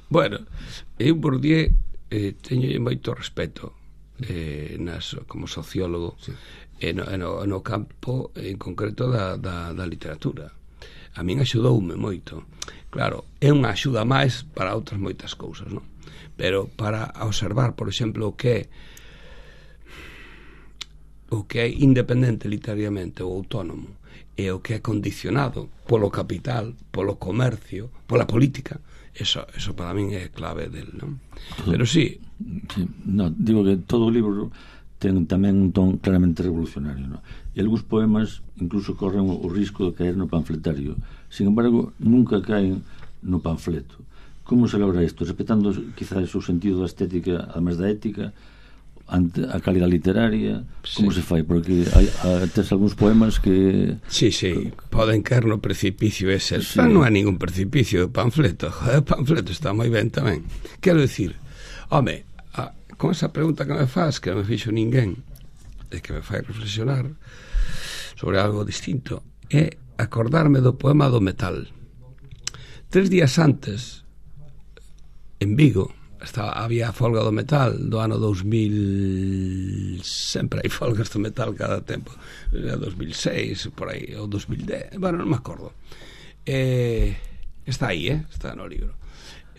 Bueno, eu Bourdieu teño moito respeto como sociólogo, sí, no campo en concreto da literatura. A min axudoume moito. Claro, é unha axuda máis para outras moitas cousas, non? Pero para observar, por exemplo, o que é independente literariamente ou autónomo e o que é condicionado polo capital, polo comercio, pola política, eso para min é clave del, non? Pero sí, no, digo que todo o libro ten tamén un ton claramente revolucionario, non? E algúns poemas incluso corren o risco de caer no panfletario, sin embargo nunca caen no panfleto. Como se logra isto? Respetando quizás o sentido da estética además da ética, a calidad literaria, como se fai? Porque tes algúns poemas que... Sí, poden caer no precipicio ese, sí. Non hai ningún precipicio de panfleto. O panfleto está moi ben tamén. Quero dicir, home, con esa pregunta que me faz, que non me fixo ninguén, e que me fai reflexionar sobre algo distinto, é acordarme do poema do metal. 3 días antes, en Vigo, había a folga do metal do ano 2000, sempre hai folgas do metal cada tempo, 2006 por aí, ou 2010, bueno, non me acordo, está aí, está no libro.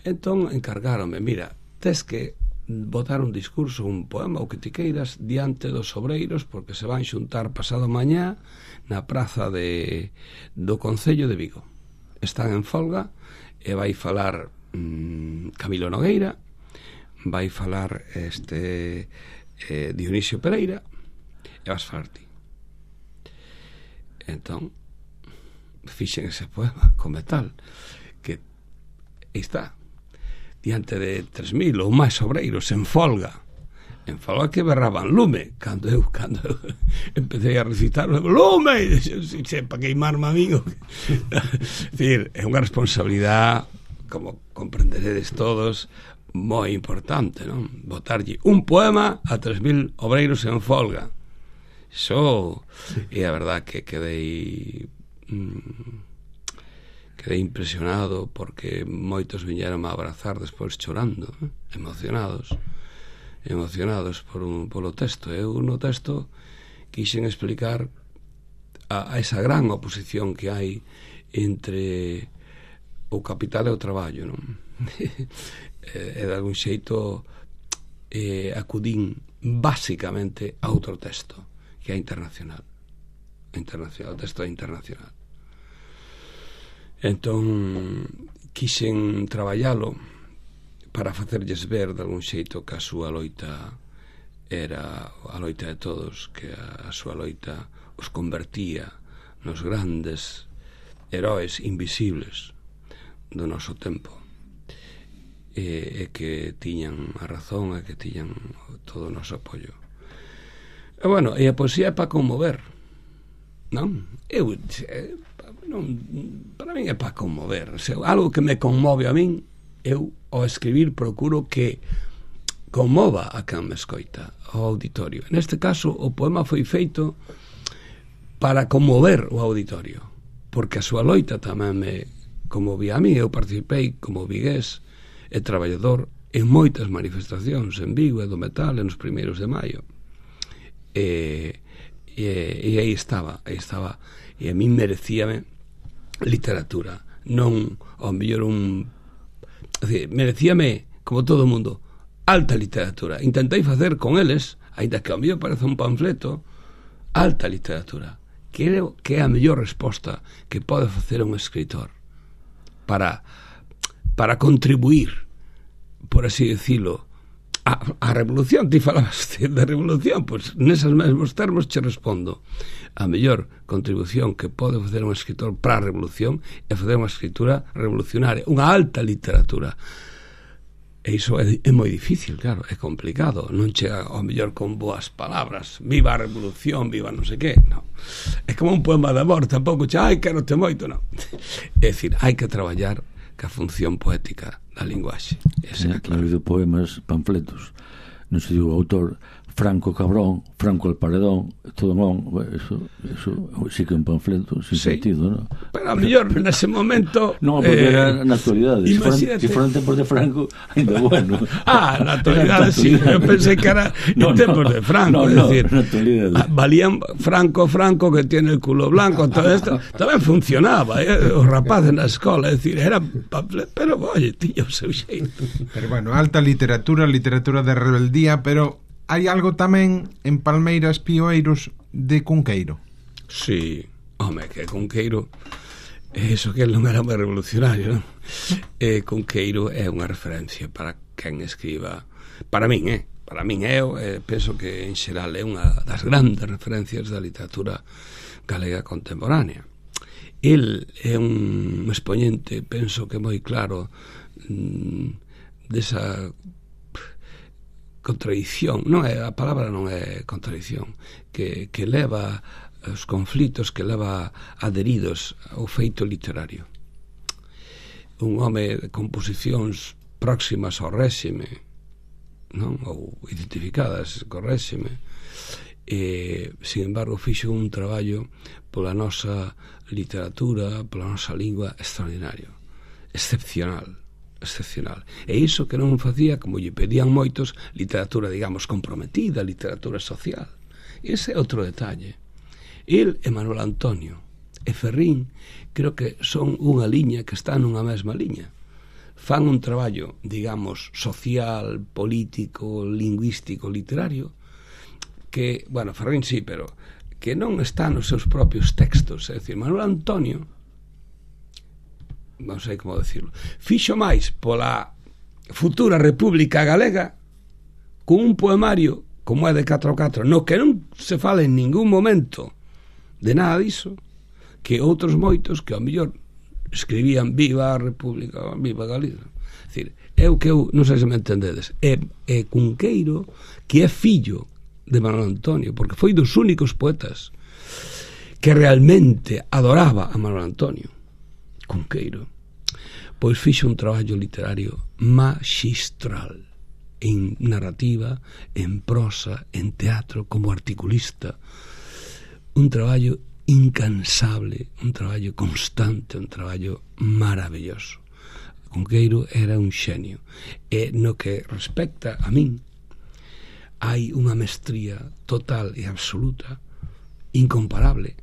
Entón encargáronme, mira, tes que botar un discurso, un poema, o que ti queiras, diante dos obreiros, porque se van xuntar pasado mañá na praza do Concello de Vigo. Están en folga e vai falar Camilo Nogueira, vai falar Dionisio Pereira e vas falar ti. Entón fixen ese poema con metal que está diante de 3.000 ou máis obreiros en folga que berraban lume cando eu empecé a recitar lume, para queimarme amigo. É unha responsabilidade, como comprenderedes todos, moi importante, non? Botarlle un poema a 3.000 obreiros en folga. Iso é a verdad que quedei impresionado, porque moitos viñeron a abrazar despois chorando, emocionados polo texto. Eu no texto quixen explicar a esa gran oposición que hai entre o capital e o traballo, non? E de algún xeito acudín basicamente a outro texto que é internacional, o texto é internacional. Entón quixen traballalo para facerlles ver de algún xeito que a súa loita era a loita de todos, que a súa loita os convertía nos grandes heróis invisibles do noso tempo, e que tiñan a razón, e que tiñan todo o noso apoio. E bueno, e a poesía é para conmover, non? Para min é para conmover. O sea, algo que me conmove a min, eu ao escribir procuro que conmova a quen me escoita, ao auditorio. Neste caso, o poema foi feito para conmover o auditorio, porque a súa loita tamén me conmovía a mí. Eu participei como vigués e traballador en moitas manifestacións en Vigo e do metal nos 1 de maio, e aí estaba, e a mí merecíame literatura, non ao mellor merecíame, como todo o mundo, alta literatura. Intentei facer con eles, aínda que ao mellor parece un panfleto, alta literatura. Creo que é a mellor resposta que pode facer un escritor para contribuir, por así decirlo, A revolución, ti falabas de revolución, pois neses mesmos termos che respondo. A mellor contribución que pode facer un escritor para a revolución é facer unha escritura revolucionaria, unha alta literatura. E iso é moi difícil, claro, é complicado, non chega ao mellor con boas palabras, viva a revolución, viva non sei que, non. É como un poema de amor, tampouco che, ai, quero te moito, non. É dicir, hai que traballar ca función poética da linguaxe. Ha habido poemas, panfletos, non se digo o autor, Franco cabrón, Franco el paredón, todo non, eso sí que é un panfleto sin sentido, non? Pero a mellor nese momento non, porque era na actualidade, se foran tempos de Franco ainda bueno. Na actualidade sí, eu pensei que era en tempos de Franco, é dicir, valían Franco que tiene el culo blanco, todo isto tamén funcionaba, os rapaces na escola, é dicir, era panfleto, pero oye, tío, o seu xeito. Pero bueno, alta literatura de rebeldía, pero hai algo tamén en Palmeiras Pioeiros de Cunqueiro. Sí, home, que Cunqueiro, eso que non era moi revolucionario, non? Cunqueiro é unha referencia para quen escriba, para min, eu penso que en xeral é unha das grandes referencias da literatura galega contemporánea. El é un expoñente, penso que moi claro, desa contradición, non é, a palabra non é contradición, que leva os conflitos, que leva adheridos ao feito literario. Un home de composicións próximas ao réxime, non? Ou identificadas co réxime, sin embargo fixo un traballo pola nosa literatura, pola nosa lingua extraordinario, excepcional. E iso que non facía, como lle pedían moitos, literatura, digamos, comprometida, literatura social. Ese é outro detalle. El e Manuel Antonio e Ferrín creo que son unha liña que está nunha mesma liña. Fan un traballo, digamos, social, político, lingüístico, literario, que, bueno, Ferrín sí, pero que non está nos seus propios textos. É dicir, Manuel Antonio, non sei como decirlo, fixo máis pola futura República Galega con un poemario como é de 4x4, no que non se fala en ningún momento de nada diso, que outros moitos que ao mellor escribían viva a República, viva Galicia. É dicir, eu non sei se me entendedes, é Cunqueiro que é fillo de Manuel Antonio, porque foi dos únicos poetas que realmente adoraba a Manuel Antonio. Cunqueiro, pois fixo un traballo literario magistral en narrativa, en prosa, en teatro, como articulista, un traballo incansable, un traballo constante, un traballo maravilloso. Cunqueiro era un xenio, e no que respecta a min hai unha mestría total e absoluta, incomparable,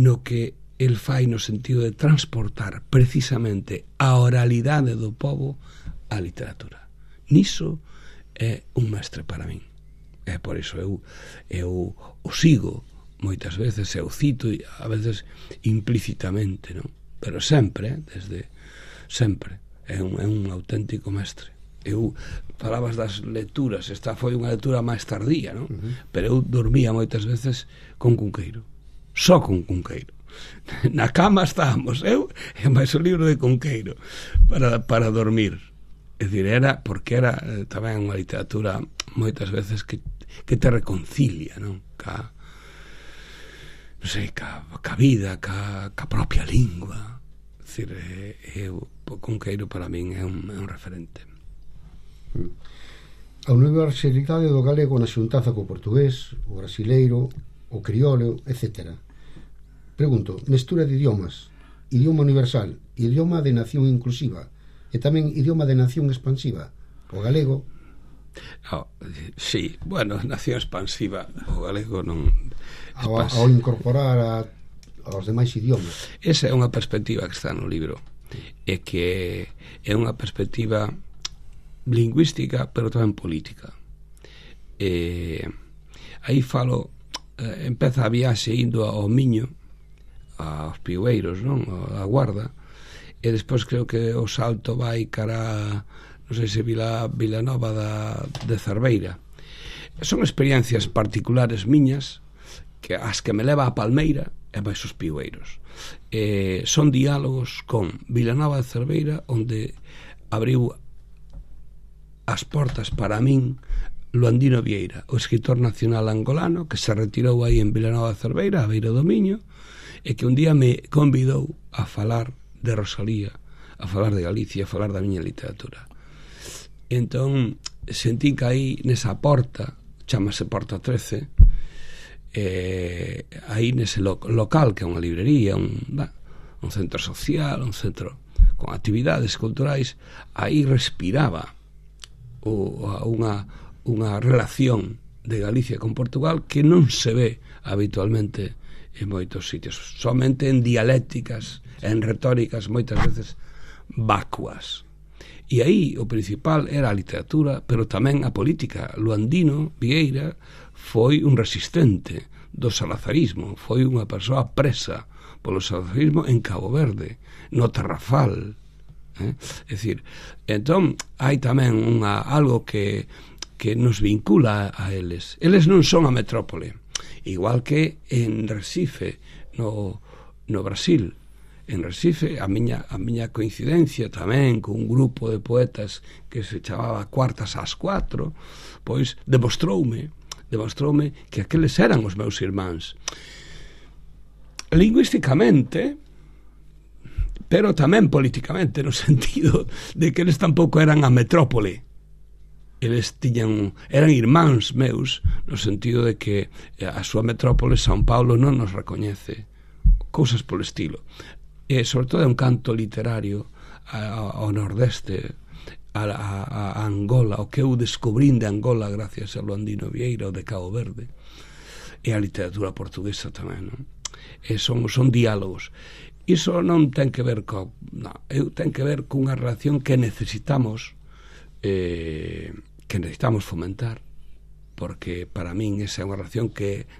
no que el fai no sentido de transportar precisamente a oralidade do povo á literatura. Niso é un mestre para min. É por iso eu o sigo moitas veces, eu cito a veces implícitamente, non? Pero sempre, desde sempre, é un auténtico mestre. Eu falabas das lecturas, esta foi unha lectura máis tardía, non? Pero eu dormía moitas veces con Cunqueiro, só con Cunqueiro. Na cama estábamos eu e máis o libro de Cunqueiro para dormir. É dicir, era porque era tamén unha literatura moitas veces que te reconcilia, non? Ca vida, ca propia lingua. É dicir, Cunqueiro para min é un referente. A universalidade do galego na xuntanza co portugués, o brasileiro, o criollo, etc. Pregunto, mestura de idiomas, idioma universal, idioma de nación inclusiva e tamén idioma de nación expansiva, o galego. Sí, bueno, nación expansiva, o galego non ao incorporar aos demais idiomas. Esa é unha perspectiva que está no libro, e que é unha perspectiva lingüística, pero tamén política. Aí falo, empeza a viaxe indo ao Miño, aos Pioeiros, non? A Guarda, e despois creo que o salto vai cara non sei se Vilanova de Cerveira. Son experiencias particulares miñas que as que me leva a Palmeira e máis os Piueiros. Son diálogos con Vilanova de Cerveira, onde abriu as portas para min Luandino Vieira, o escritor nacional angolano que se retirou aí en Vilanova de Cerveira, a beira do Miño, e que un día me convidou a falar de Rosalía, a falar de Galicia, a falar da miña literatura. Entón sentí que aí nesa porta, chamase Porta 13, aí nese local que é unha librería, un centro social, un centro con actividades culturais, aí respiraba unha relación de Galicia con Portugal que non se ve habitualmente en moitos sitios, somente en dialécticas, en retóricas moitas veces vacuas. E aí o principal era a literatura, pero tamén a política. Luandino Vieira foi un resistente do salazarismo, foi unha persoa presa polo salazarismo en Cabo Verde, no Tarrafal. É dicir, entón hai tamén algo que nos vincula a eles. Eles non son a metrópole, igual que en Recife, no Brasil. En Recife, a miña coincidencia tamén con un grupo de poetas que se chamaba Cuartas ás 4, pois demostroume que aqueles eran os meus irmáns. Lingüísticamente, pero tamén políticamente, no sentido de que eles tampouco eran a metrópole. Eles eran irmáns meus, no sentido de que a súa metrópole, São Paulo, non nos recoñece, cousas polo estilo. E sobre todo é un canto literario ao nordeste, a Angola, o que eu descubrín de Angola gracias a Luandino Vieira, o de Cabo Verde, e a literatura portuguesa tamén, non? Son diálogos. Iso non ten que ver ten que ver cunha relación que necesitamos fomentar, porque para min esa é unha relación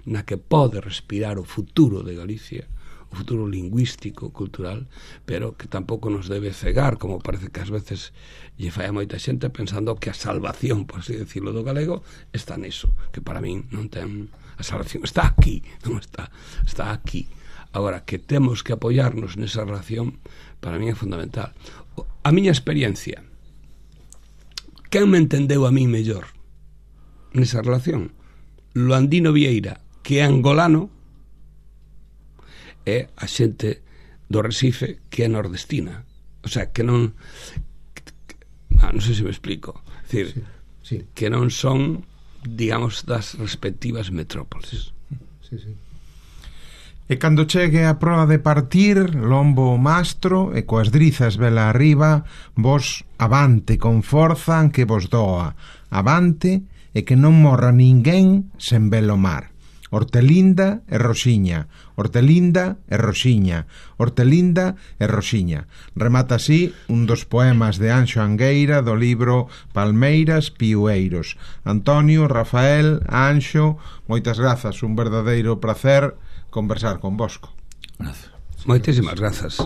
na que pode respirar o futuro de Galicia, o futuro lingüístico, cultural, pero que tampouco nos debe cegar, como parece que ás veces lle fai a moita xente pensando que a salvación, por así decirlo, do galego está niso, que para min non ten. A salvación está aquí, non está aquí. Agora, que temos que apoiarnos nesa relación, para min é fundamental. A miña experiencia, quen me entendeu a mí mellor nesa relación? Luandino Vieira, que é angolano, é a xente do Recife que é nordestina, o sea, que non sei se me explico, decir, sí. Que non son, digamos, das respectivas metrópoles. Sí. E cando chegue a proa de partir, lombo o mastro e coas drizas vela arriba, vos avante con forza que vos doa, avante e que non morra ninguén sen velo mar. Hortelinda e Rosiña, Hortelinda e Rosiña, Hortelinda e Rosiña. Remata así un dos poemas de Anxo Angueira do libro Palmeiras Piueiros. Antonio, Rafael, Anxo, moitas grazas, un verdadeiro placer conversar convosco. Gracias. Moitísimas grazas.